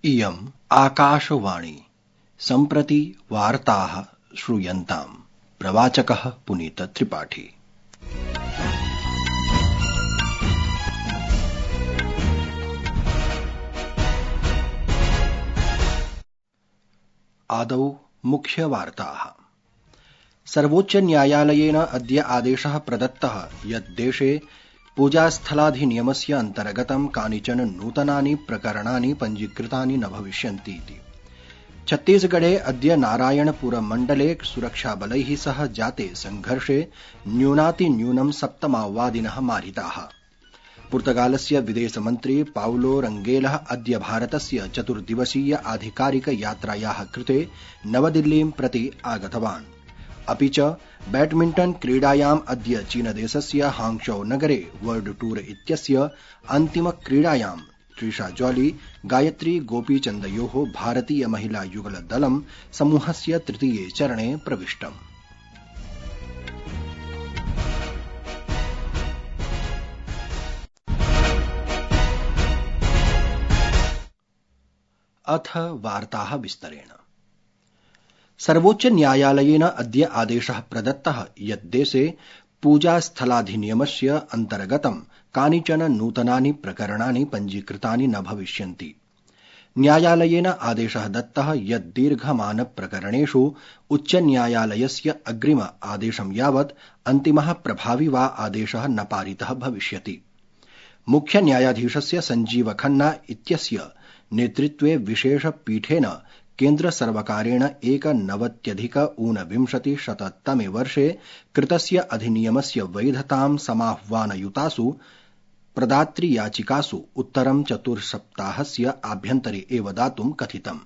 इयम् आकाशवाणी सम्प्रति वार्ताः श्रूयन्ताम्। प्रवाचकः पुनीत त्रिपाठी। आदौ मुख्यवार्ताः। सर्वोच्च न्यायालयेन अद्य आदेशः प्रदत्तः यत् देशे पूजास्थलाधिनियमस्य अन्तर्गतं कानिचन नूतनानि प्रकरणानि पञ्जीकृतानि न भविष्यन्ति इति। छत्तीसगढे अद्य नारायणपुर मण्डले सुरक्षाबलैः सह जाते संघर्षे न्यूनातिन्यूनं 7 माओवादिनः मारिताः। पुर्तगालस्य विदेशमन्त्री पाउलो रंगेलः अद्य भारतस्य 4 दिवसीय आधिकारिक यात्रायाः कृते नवदिल्लीं प्रति आगतवान्। अपि च बैडमिण्टन् क्रीडायाम् अद्य चीनदेशस्य हांगझौ नगरे वर्ल्ड टूर इत्यस्य अन्तिमक्रीडायां त्रिषा जॉली गायत्री गोपीचन्दयोः भारतीय महिला युगल दलं समूहस्य तृतीये चरणे प्रविष्टम्। अथ वार्ताः विस्तरेण। सर्वोच्च न्यायालयेन अद्य आदेशः प्रदत्तः यत् देशे पूजास्थलाधिनियमस्य अन्तर्गतं कानिचन नूतनानि प्रकरणानि पञ्जीकृतानि न भविष्यन्ति। न्यायालयेन आदेशः दत्तः यत् दीर्घमान प्रकरणेषु उच्चन्यायालयस्य अग्रिम आदेशं यावत् अन्तिमः प्रभावी वा आदेशः न पारितः भविष्यति। मुख्य न्यायाधीशस्य संजीव खन्ना इत्यस्य नेतृत्वे विशेष पीठेन केन्द्र सर्वकारेण 1999 वर्षे कृतस्य अधिनियमस्य वैधतां समाह्वानयुतासु प्रदातृयाचिकासु उत्तरं 4 सप्ताहस्य आभ्यन्तरे एव दातुं कथितम्,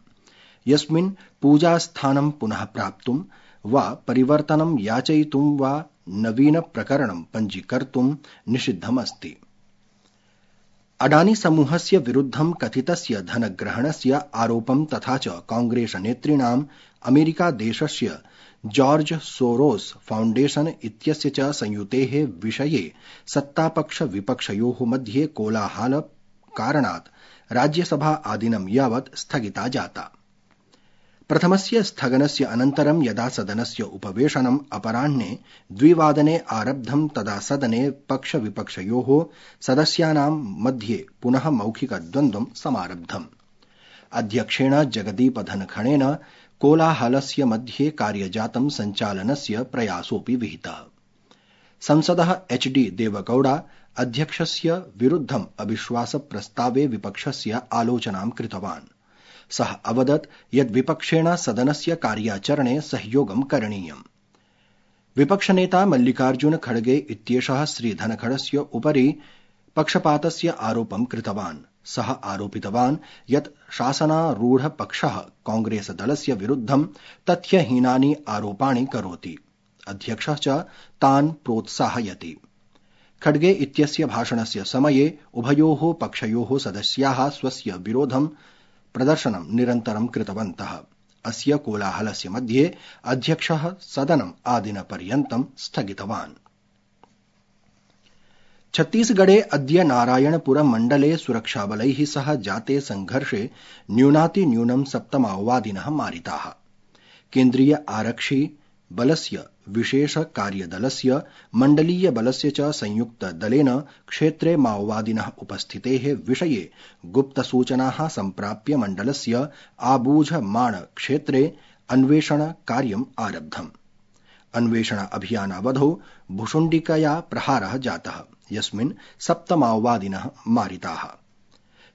यस्मिन् पूजास्थानं पुनः प्राप्तुं वा परिवर्तनं याचयितुं वा नवीन प्रकरणं पञ्जीकर्तुं निषिद्धमस्ति। अडानी समूहस्य विरुद्धं कथितस्य धनग्रहणस्य आरोपं तथा च कांग्रेस नेतॄणां अमेरिकादेशस्य जॉर्ज सोरोस फाउण्डेशन इत्यस्य च संयुतेः विषये सत्तापक्ष विपक्षयोः मध्ये कोलाहल कारणात् राज्यसभा आदिनं यावत् स्थगिता जाता। प्रथमस्य स्थगनस्य अनन्तरं यदा सदनस्य उपवेशनम् अपराह्ने 2 वादने आरब्धं तदा सदने पक्षविपक्षयोः सदस्यानां मध्ये पुनः मौखिकद्वन्द्वं समारब्धम्। अध्यक्षेण जगदीप धनखड़ेन कोलाहलस्य मध्ये कार्यजातं सञ्चालनस्य प्रयासोऽपि विहितः। संसदः HD देवगौड़ा अध्यक्षस्य विरुद्धम् अविश्वासप्रस्तावे विपक्षस्य आलोचनां कृतवान्। सः अवदत् यत् विपक्षेण सदनस्य कार्याचरणे सहयोगं करणीयम्। विपक्षनेता मल्लिकार्जुन खड़गे इत्येषः श्रीधनखड़स्य उपरि पक्षपातस्य आरोपं कृतवान्। सः आरोपितवान् यत् शासनारूढपक्षः कांग्रेस दलस्य विरुद्धं तथ्यहीनानि आरोपाणि करोति। अध्यक्षः च तान् प्रोत्साहयति। खड़गे इत्यस्य भाषणस्य समये उभयोः पक्षयोः सदस्याः स्वस्य विरोधं प्रदर्शनं निरन्तरं कृतवन्तः। अस्य कोलाहलस्य मध्ये अध्यक्षः सदनम् आदिनपर्यन्तं स्थगितवान्। छत्तीसगढ़े अद्य नारायणपुर मण्डले सुरक्षाबलैः सह जाते संघर्षे न्यूनातिन्यूनं 7 माओवादिनः मारिताः। केन्द्रीय आरक्षि बलस्य विशेष कार्यदलस्य मण्डलीय बलस्य च संयुक्त दलेन क्षेत्रे माओवादिनः उपस्थितेः विषये गुप्तसूचनाः सम्प्राप्य मण्डलस्य आबूझमाण क्षेत्रे अन्वेषण कार्यम् आरब्धम्। अन्वेषण अभियानावधौ भुशुण्डिकया प्रहारः जातः, यस्मिन् 7 माओवादिनः मारिताः।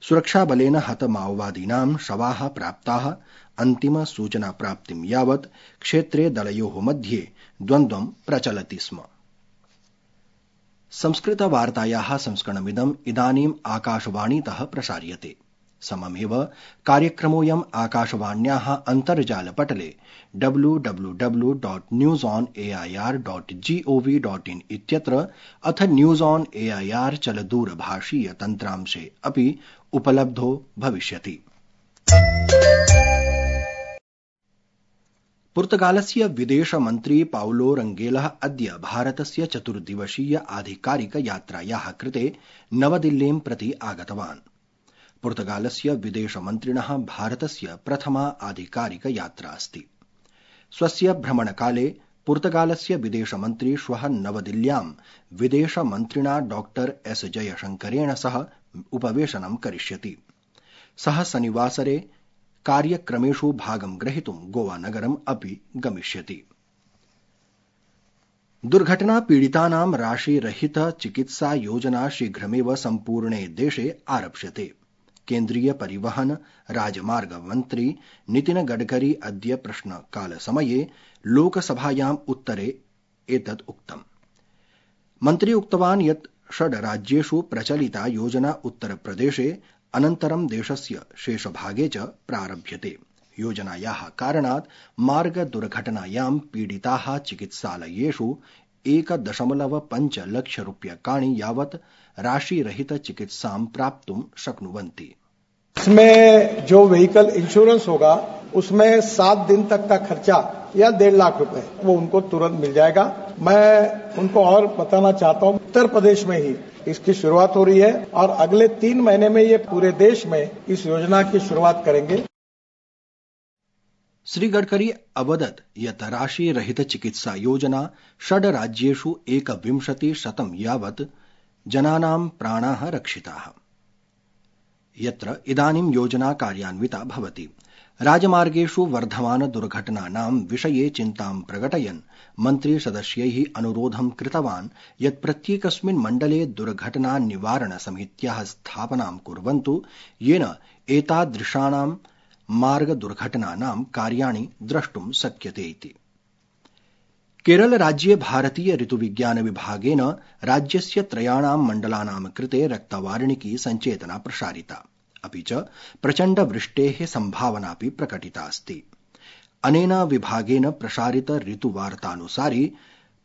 सुरक्षाबलेन हत माओवादीनां शवाः प्राप्ताः। अन्तिम सूचना प्राप्तिं यावत् क्षेत्रे दलयोः मध्ये द्वन्द्वं प्रचलति स्म। संस्कृतवार्तायाः संस्करणमिदम् इदानीम् आकाशवाणीतः प्रसार्यते। सममेव कार्यक्रमोऽयम् आकाशवाण्याः अन्तर्जालपटले www.newsonair.gov.in इत्यत्र अथ न्यूज़ ऑन एआईआर चलदूरभाषीय तन्त्रांशे अपि उपलब्धो भविष्यति। पुर्तगालस्य विदेशमन्त्री पाउलो रंगेलः अद्य भारतस्य 4 दिवसीय आधिकारिक यात्रायाः कृते नवदिल्लीं प्रति आगतवान्। पुर्तगालस्य विदेशमन्त्रिणः भारतस्य प्रथमा आधिकारिक यात्रा अस्ति। स्वस्य भ्रमणकाले पुर्तगालस्य विदेशमन्त्री श्वः नवदिल्ल्यां विदेशमन्त्रिणा डॉक्टर एस जयशंकरेण सह उपवेशनं करिष्यति। सः शनिवासरे कार्यक्रमेषु भागं ग्रहीतुं गोवानगरम् अपि गमिष्यति। दुर्घटना पीडितानां राशिरहित चिकित्सा योजना शीघ्रमेव सम्पूर्णे देशे आरप्स्यते। केन्द्रीय परिवहन राजमार्ग मन्त्री नितिन गडकरी अद्य प्रश्नकालसमये लोकसभायाम् उत्तरे एतत् उक्तम्। मन्त्री उक्तवान् यत् 6 राज्येषु प्रचलिता योजना उत्तरप्रदेशे अनन्तरं देशस्य शेषभागे च प्रारभ्यते। योजनायाः कारणात् मार्ग दुर्घटनायां पीडिताः चिकित्सालयेषु 1.5 लाख रूप्यकाणि यावत् राशिरहित चिकित्सां प्राप्तुं शक्नुवन्ति। इसमें जो व्हीकल इंश्योरेंस होगा उसमें 7 दिन तक का खर्चा या 1.5 लाख रुपए वो उनको तुरंत मिल जाएगा। मैं उनको और बताना चाहता हूं, उत्तर प्रदेश में ही इसकी शुरुआत हो रही है और अगले 3 महीने में ये पूरे देश में इस योजना की शुरुआत करेंगे। श्री गडकरी अवदत् यत् राशिरहित चिकित्सा योजना 6 राज्येषु 21% यावत् जनानां प्राणाः रक्षिताः, यत्र इदानीं योजना कार्यान्विता भवति। राजमार्गेषु वर्धमान दुर्घटनानां विषये चिन्तां प्रकटयन् मन्त्री सदस्यैः अनुरोधं कृतवान् यत् प्रत्येकस्मिन् मण्डले दुर्घटना निवारण समित्याः स्थापनां कुर्वन्तु, येन एतादृशानां मार्ग दुर्घटनानां कार्याणि द्रष्टुं शक्यते इति। केरल राज्ये भारतीय ऋतुविज्ञान विभागेन राज्यस्य 3 मण्डलानां कृते रक्तवार्णिकी सञ्चेतना प्रसारिता, अपि च प्रचण्ड वृष्टेः सम्भावनापि प्रकटिता अस्ति। अनेन विभागेन प्रसारित ऋतुवार्तानुसारि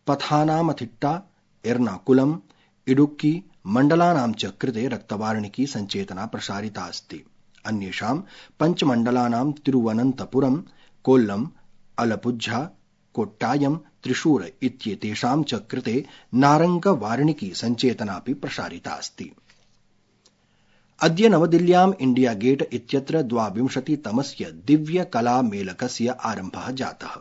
पथानामथिट्टा, एर्नाकुलम, इडुक्की मण्डलानां च कृते रक्तवार्णिकी सञ्चेतना प्रसारिता अस्ति। अन्येषां 5 मण्डलानां तिरुवनन्तपुरम, कोल्लम, अलपुझा, कोट्टायम, त्रिशूर इत्येतेषां च कृते नारंग वार्णिकी सञ्चेतनापि प्रसारिता अस्ति। अद्य नवदिल्ल्याम् इंडिया गेट इत्यत्र 22तमस्य दिव्य कला मेलकस्य आरम्भः जातः।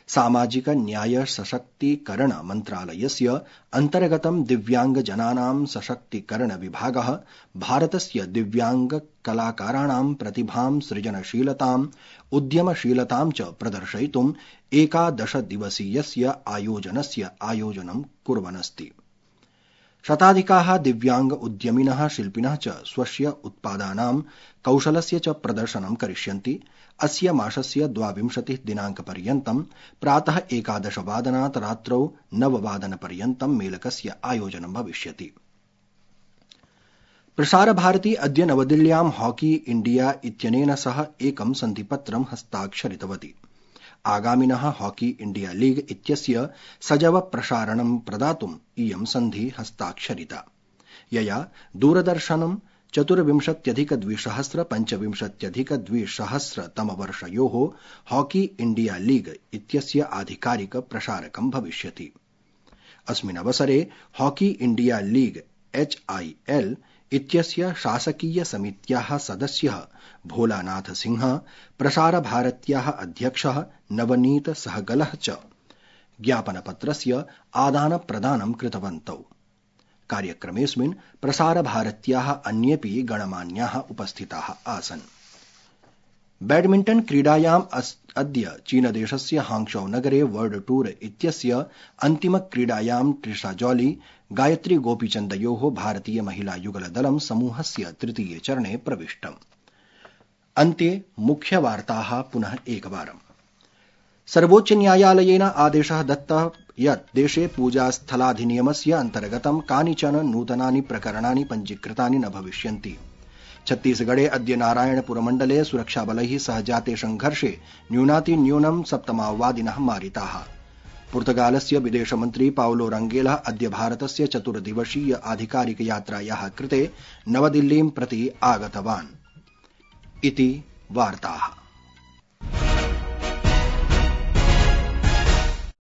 सामाजिक न्याय सशक्तीकरण मन्त्रालयस्य अन्तर्गतं दिव्यांग जनानां सशक्तीकरण विभागः भारतस्य दिव्यांग कलाकाराणां प्रतिभां, सृजनशीलतां, उद्यमशीलतां च प्रदर्शयितुं 11 दिवसीयस्य आयोजनस्य आयोजनं कुर्वन्नस्ति। शताधिकाः दिव्यांग उद्यमिनः, शिल्पिनः च स्वस्य उत्पादानां, कौशलस्य च प्रदर्शनं करिष्यन्ति। अस्य मासस्य 22 दिनाङ्कपर्यन्तं प्रातः 11 वादनात् रात्रौ 9 वादनपर्यन्तं मेलकस्य आयोजनं भविष्यति। प्रसारभारती अद्य नवदिल्ल्यां हॉकी इंडिया इत्यनेन सह एकं सन्धिपत्रं हस्ताक्षरितवती। आगामिनः हॉकी इंडिया लीग इत्यस्य सजव प्रसारणं प्रदातुम् इयं सन्धि हस्ताक्षरिता, यया दूरदर्शनं 24,2025 तमवर्षयोः हॉकी इंडिया लीग इत्यस्य आधिकारिक प्रसारकं भविष्यति। अस्मिन् अवसरे हॉकी इंडिया लीग HIL इत्यस्य शासकीय समित्याः सदस्यः भोलानाथ सिंह, प्रसारभारत्याः अध्यक्षः नवनीत सहगलः च ज्ञापनपत्रस्य आदानप्रदानं कृतवन्तौ। कार्यक्रमेऽस्मिन् प्रसारभारत्याः अन्येऽपि गणमान्याः उपस्थिताः आसन्। बैडमिण्टन क्रीडायाम् अद्य चीनदेशस्य हांगझौ नगरे वर्ल्ड टूर इत्यस्य अन्तिमक्रीडायां ट्रिशा जॉली, गायत्री गोपीचन्दयोः भारतीय महिला युगलदलं समूहस्य तृतीये चरणे प्रविष्टम्। अन्ते मुख्यवार्ताः पुनः एकवारम्। सर्वोच्च न्यायालयेन आदेशः दत्तः यत् देशे पूजास्थलाधिनियमस्य अन्तर्गतं कानिचन नूतनानि प्रकरणानि पञ्जीकृतानि न भविष्यन्ति। छत्तीसगढ़े अद्य नारायणपुरमण्डले सुरक्षाबलैः सह जाते संघर्षे न्यूनातिन्यूनं 7 माओवादिनः मारिताः। पुर्तगालस्य विदेशमन्त्री पाउलो रंगेलः अद्य भारतस्य 4 दिवसीय आधिकारिक यात्रायाः कृते नवदिल्लीं प्रति आगतवान्। इति वार्ताः।